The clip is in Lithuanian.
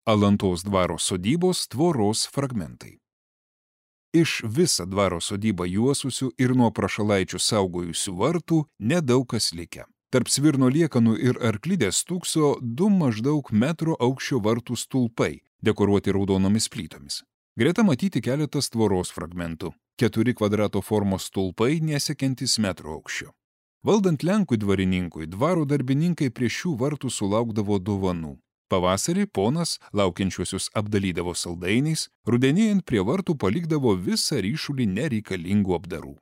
Alantos dvaro sodybos tvoros fragmentai. Iš visą dvaro sodybą juosusių ir nuo prašalaičių saugojusių vartų nedaug kas likę. Tarp svirno liekanų ir arklidės stūkso 2 maždaug metro aukščio vartų stulpai, dekoruoti raudonomis plytomis. Greta matyti keletas tvoros fragmentų. 4 kvadrato formos stulpai nesiekiantys metro aukščio. Valdant Lenkų dvarininkui, dvaro darbininkai prie šių vartų sulaukdavo dovanų. Pavasarį ponas laukiančiuosius apdalydavo saldainiais, rudenėjant prie vartų palikdavo visą ryšulį nereikalingų apdarų.